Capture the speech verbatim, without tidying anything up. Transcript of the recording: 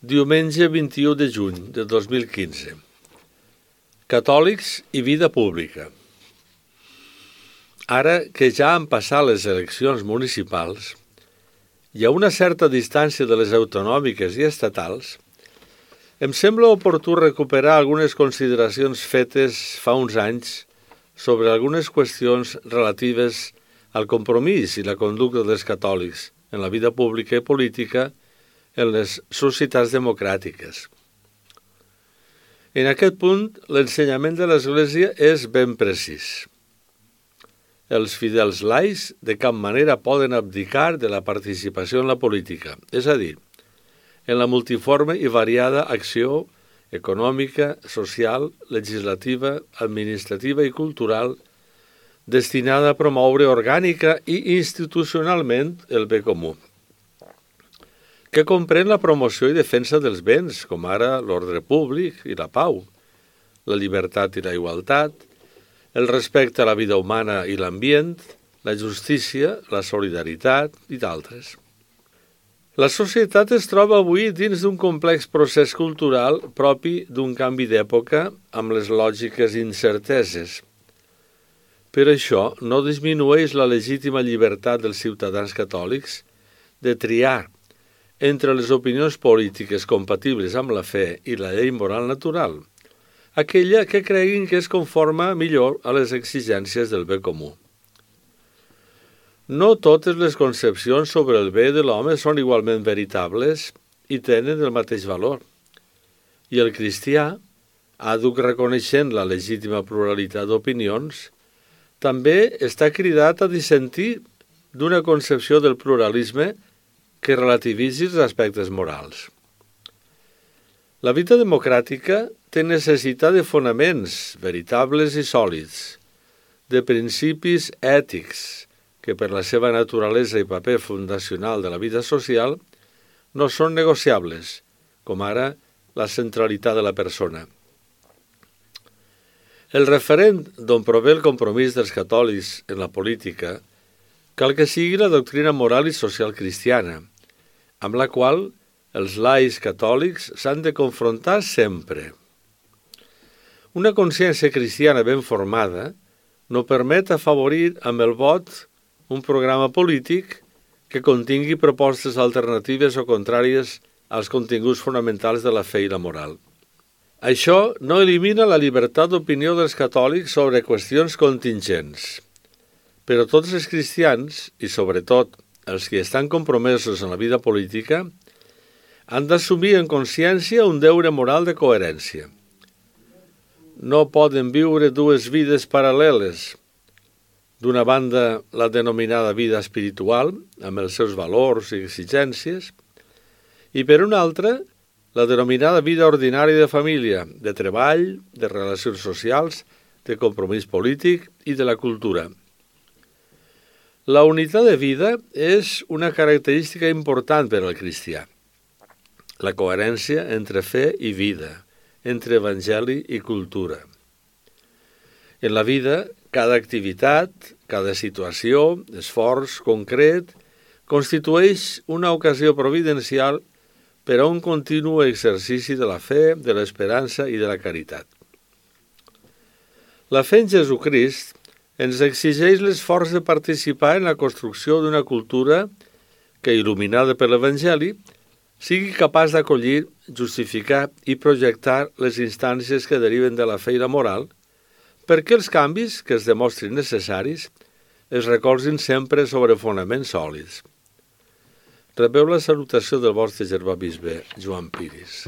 Diumenge vint-i-u de juny de dos mil quinze. Catòlics i vida pública. Ara que ja han passat les eleccions municipals i a una certa distància de les autonòmiques i estatals, em sembla oportú recuperar algunes consideracions fetes fa uns anys sobre algunes qüestions relatives al compromís i la conducta dels catòlics en la vida pública i política en les societats democràtiques. En aquest punt, l'ensenyament de l'Església és ben precís. Els fidels laics de cap manera poden abdicar de la participació en la política, és a dir, en la multiforme i variada acció econòmica, social, legislativa, administrativa i cultural destinada a promoure orgànica i institucionalment el bé comú, que comprèn la promoció i defensa dels béns, com ara l'ordre públic i la pau, la llibertat i la igualtat, el respecte a la vida humana i l'ambient, la justícia, la solidaritat i d'altres. La societat es troba avui dins d'un complex procés cultural propi d'un canvi d'època amb les lògiques incerteses. Per això no disminueix la legítima llibertat dels ciutadans catòlics de triar entre les opinions polítiques compatibles amb la fe i la llei moral natural, aquella que creguin que es conforma millor a les exigències del bé comú. No totes les concepcions sobre el bé de l'home són igualment veritables i tenen el mateix valor, i el cristià, àdhuc reconeixent la legítima pluralitat d'opinions, també està cridat a dissentir d'una concepció del pluralisme que relativitzi els aspectes morals. La vida democràtica té necessitat de fonaments veritables i sòlids, de principis ètics que per la seva naturalesa i paper fundacional de la vida social no són negociables, com ara la centralitat de la persona. El referent d'on prové el compromís dels catòlics en la política cal que sigui la doctrina moral i social cristiana, amb la qual els laics catòlics s'han de confrontar sempre. Una consciència cristiana ben formada no permet afavorir amb el vot un programa polític que contingui propostes alternatives o contràries als continguts fonamentals de la fe i la moral. Això no elimina la llibertat d'opinió dels catòlics sobre qüestions contingents, però tots els cristians, i sobretot els que estan compromesos en la vida política, han d'assumir en consciència un deure moral de coherència. No poden viure dues vides paral·leles. D'una banda, la denominada vida espiritual, amb els seus valors i exigències, i per una altra, la denominada vida ordinària de família, de treball, de relacions socials, de compromís polític i de la cultura. La unitat de vida és una característica important per al cristià. La coherència entre fe i vida, entre evangeli i cultura. En la vida, cada activitat, cada situació, esforç concret, constitueix una ocasió providencial per a un continu exercici de la fe, de l'esperança i de la caritat. La fe en Jesucrist ens exigeix l'esforç de participar en la construcció d'una cultura que, il·luminada per l'Evangeli, sigui capaç d'acollir, justificar i projectar les instàncies que deriven de la fe i la moral, perquè els canvis que es demostrin necessaris es recolzin sempre sobre fonaments sòlids. Rebeu la salutació del vostre germà bisbe Joan Piris.